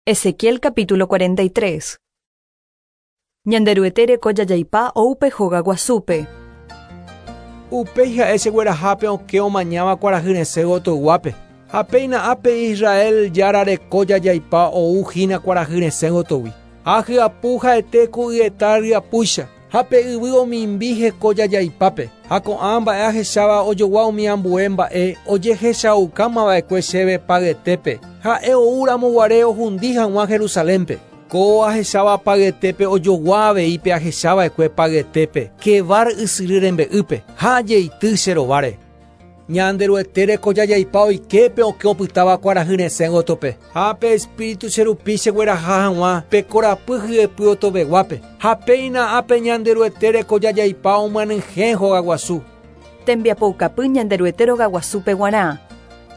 Ezequiel capítulo 43. Ñanderuete reko jajaipa ou pe hóga guasúpe. Upéi ha'e chegueraha pe okẽ omañáva kuarahy resẽ gotyoguápe, ha péina ápe Israel Jára reko jajaipa ou hína kuarahy resẽ gotyogui. Ha hyapu ha'ete ku yeta ryapúicha, Ha pe yvy omimbi heko jajaipápe, ha ko'ã mba'e ahecháva ojogua umi ambue mba'e ojehechaukáma va'ekue chéve payetépe, ha'e ou ramo guare ohundi hag̃ua Jerusalénpe. Ko ahecháva payetépe ojogua avei pe ahecha va'ekue payetépe Quebar ysyry rembe'ýpe, ha ajeity che rováre. Ñanderuete reko jajaipa oike pe okẽ opytáva kuarahy resẽ gotyope, ha pe Espíritu che rupi chegueraha hag̃ua pe korapy hyepy otoveguápe, ha péina ápe Ñanderuete reko jajaipa omyanyhẽ hogaguasu. Tembiapoukapy Ñanderuete rogaguasúpe guarã.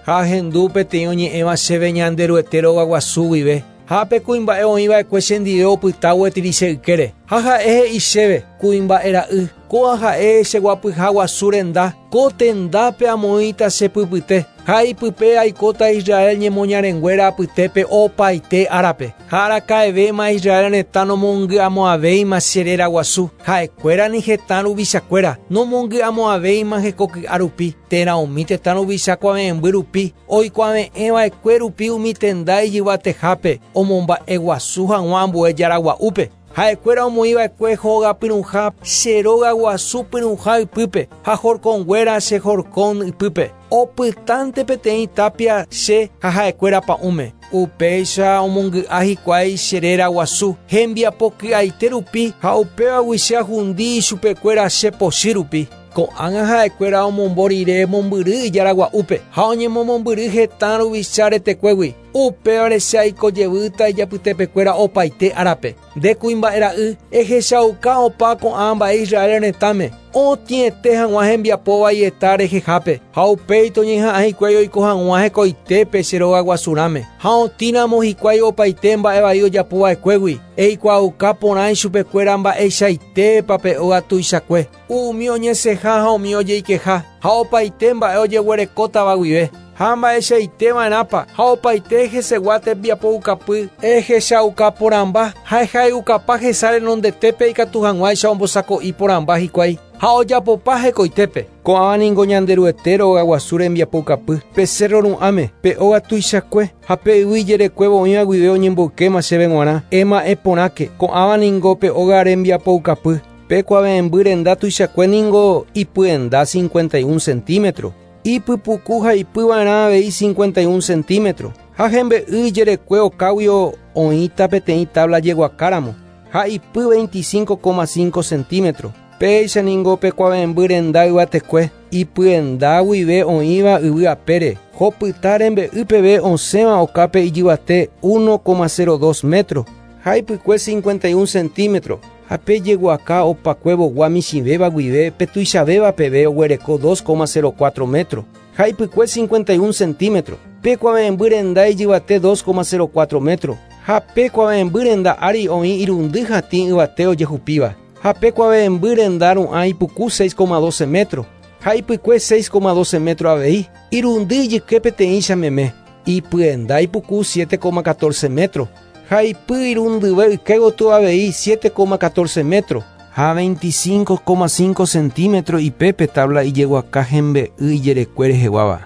Ha ahendu peteĩ oñe'ẽva chéve Ñanderuete rogaguasu guive, Ha pe kuimba'e oĩ va'ekue chendive opyta gueteri che ykére. Ha ha'e he'i chéve, Kuimba'e ra'y, kóa ha'e che guapyha guasu renda, ko tendápe amoĩta che pypyte, ha ipype aikóta Israel ñemoñarenguéra apytépe opaite árape. Ha araka'evéma Israel retã nomongy'amo'ãvéima che réra guasu, ha'ekuéra ni hetã ruvichakuéra nomongy'amo'ãvéima hekoky'a rupi, térã umi tetã ruvicha kuave'ẽmby rupi, Oikuave'ẽ va'ekue rupi umi tenda ijyvatehápe omomba'e guasu hag̃ua ambue jára gua'úpe. Ha'ekuéra omoĩ va'ekue hóga pyrũha che róga guasu pyrũha ypýpe ha horkõnguéra che horkõ ypýpe. Opytánte peteĩ tápia che ha ha'ekuéra pa'ũme. Upéicha omongy'a hikuái che réra guasu hembiapo ky'aite rupi ha upévagui che ahundi ichupekuéra che pochy rupi. Ko'ág̃a ha'ekuéra omombo rire mombyry ijára gua'úpe ha oñemomombyry hetã ruvicha retekuégui, upévare che aiko jevýta ijapytepekuéra opaite árape. Nde kuimba'e ra'y, ehechauka opa ko'ã mba'e Israel retãme, otĩete hag̃ua hembiapo vaieta rehehápe, ha upéi toñeha'ã hikuái oiko hag̃ua hekoitépe che rogaguasurãme. Ha otĩramo hikuái opaite mba'e vai ojapo va'ekuégui, eikuaauka porã ichupekuéra mba'eichaitépa pe óga tuichakue. Umi oñesẽha ha umi ojeikeha, ha opaite mba'e ojeguerekótava guive, ha mba'eichaite va'erãpa, ha opaite hesegua tembiapoukapy ehechauka porãmba ha ehay'ukapa hesa renondetépe ikatu hag̃uáicha ombosako'i porãmba hikuái ha ojapopa hekoitépe. Ko'ãva ningo Ñanderuete rogaguasu rembiapoukapy, pe cérro ru'ãme, pe óga tuichakue, ha pe yvy ijerekuévo oĩva guive oñemboykéma chéve g̃uarã. Ema'ẽ porãke, ko'ãva ningo pe óga rembiapoukapy. Pe kuave'ẽmby renda tuichakue ningo ipyenda 51 centímetro, ipypuku ha ipy va'erã avei 51 centímetro, ha hembe'y ijerekue okáguio oĩta peteĩ tabla jeguakáramo, ha ipy 25,5 centímetro. Péicha ningo pe kuave'ẽmby renda yvatekue, ipyenda guive oĩva yvy apére, hopyta rembe'y peve osẽva okápe ijyvate 1,02 metro, ha ipykue 51 centímetro. Ha pe jeguaka opakuevogua michĩvéva guive pe tuichavéva peve oguereko 2,04 métro, ha ipykue 51 centímetro. Pe kuave'ẽmby renda ijyvate 2,04 métro, ha pe kuave'ẽmby renda ári oĩ irundy hatĩ yvate ojehupíva. Ha pe kuave'ẽmby renda ru'ã ipuku 6,12 métro, ha ipykue 6,12 métro avei, irundy ijyke peteĩcha meme, ipyenda ipuku 7,14 métro. Ha ipy irundyve yke gotyo avei 7,14 métro ha 25,5 centímetro ipe pe tabla ijeguaka hembe'y ijerekue reheguáva.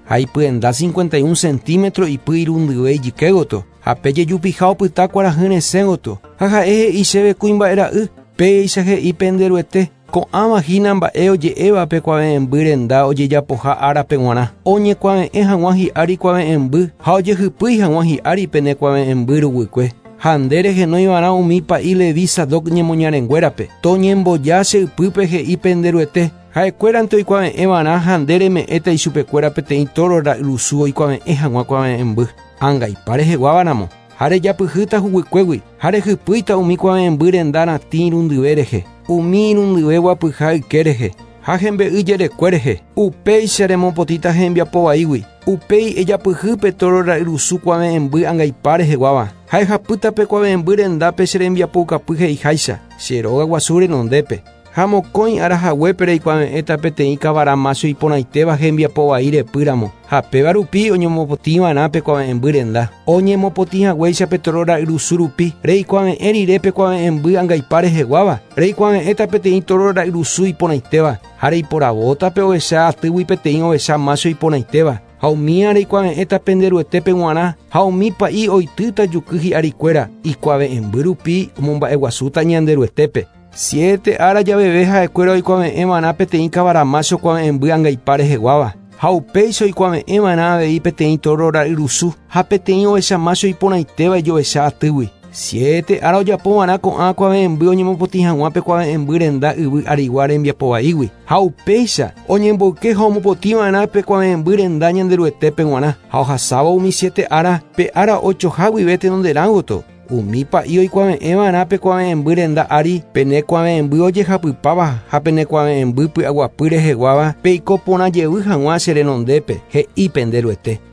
Ha ipyenda 51 centímetro ipy irundyve ijyke gotyo, ha pe jejupiha opyta kuarahy resẽ gotyo. Ha ha'e he'i chéve kuimba'e ra'y, péicha he'i pende Ruete, Ko'ãva hína mba'e oje'éva pe kuave'ẽmby renda ojejapoha árape g̃uarã, oñekuave'ẽ hag̃ua hi'ári kuave'ẽmby ha ojehypýi hag̃ua hi'ári pene kuave'ẽmby ruguykue. Ha nde rehenói va'erã umi pa'i Levi Sadoc ñemoñarenguérape, toñemboja che ypýpe he'i pende Ruete, ha'ekuérante oikuave'ẽ va'erã ha nde reme'ẽta ichupekuéra peteĩ tóro ra'yrusu oikuave'ẽ hag̃ua kuave'ẽmby, angaipa reheguáva ramo. Ha rejapyhýta huguykuégui, ha rehypýita umi kuave'ẽmby renda ratĩ irundyve rehe, umi irundyve guapyha yke rehe, ha hembe'y jerekue rehe. Upéicha remopotĩta hembiapo vaígui. Upéi ejapyhy pe tóro ra'yrusu kuave'ẽmby angaipa reheguáva, ha ehapýta pe kuave'ẽmby rendápe che rembiapoukapy he'iháicha, che róga guasu renondépe. Ha mokõi ára haguépe reikuave'ẽta peteĩ kavara mácho iporãitéva hembiapo vai repýramo, ha péva rupi oñemopotĩva'erã pe kuave'ẽmby renda. Oñemopotĩ haguéicha pe tóro ra'yrusu rupi, reikuave'ẽ rire pe kuave'ẽmby angaipa reheguáva, reikuave'ẽta peteĩ tóro ra'yrusu iporãitéva, ha reiporavóta pe ovecha atýgui peteĩ ovecha mácho iporãitéva, ha umía reikuave'ẽta pende Ruetépe g̃uarã, ha umi pa'i oitýta juky hi'arikuéra, ikuave'ẽmby rupi omomba'eguasúta Ñanderuetépe. Siete ára javeve ha'ekuéra oikuave'ẽva'erã peteĩ kavara mácho kuave'ẽmby angaipa reheguáva, ha upéicha oikuave'ẽva'erã avei peteĩ tóro ra'yrusu ha peteĩ ovecha mácho iporãitéva ijovecha atýgui. Siete ára ojapova'erã ko'ã kuave'ẽmby oñemopotĩ hag̃ua pe kuave'ẽmby renda yvy arigua rembiapo vaígui, ha upéicha oñemboyke ha omopotĩva'erã pe kuave'ẽmby renda Ñanderuetépe g̃uarã, ha ohasávo umi siete ára, pe ára ochoha guive tenonderã gotyo. Umi pa'i oikuave'ẽva'erã pe kuave'ẽmby renda ári, pene kuave'ẽmby ojehapypáva ha pene kuave'ẽmby py'aguapy reheguáva peiko porã jevy hag̃ua che renondépe, he'i pende Ruete.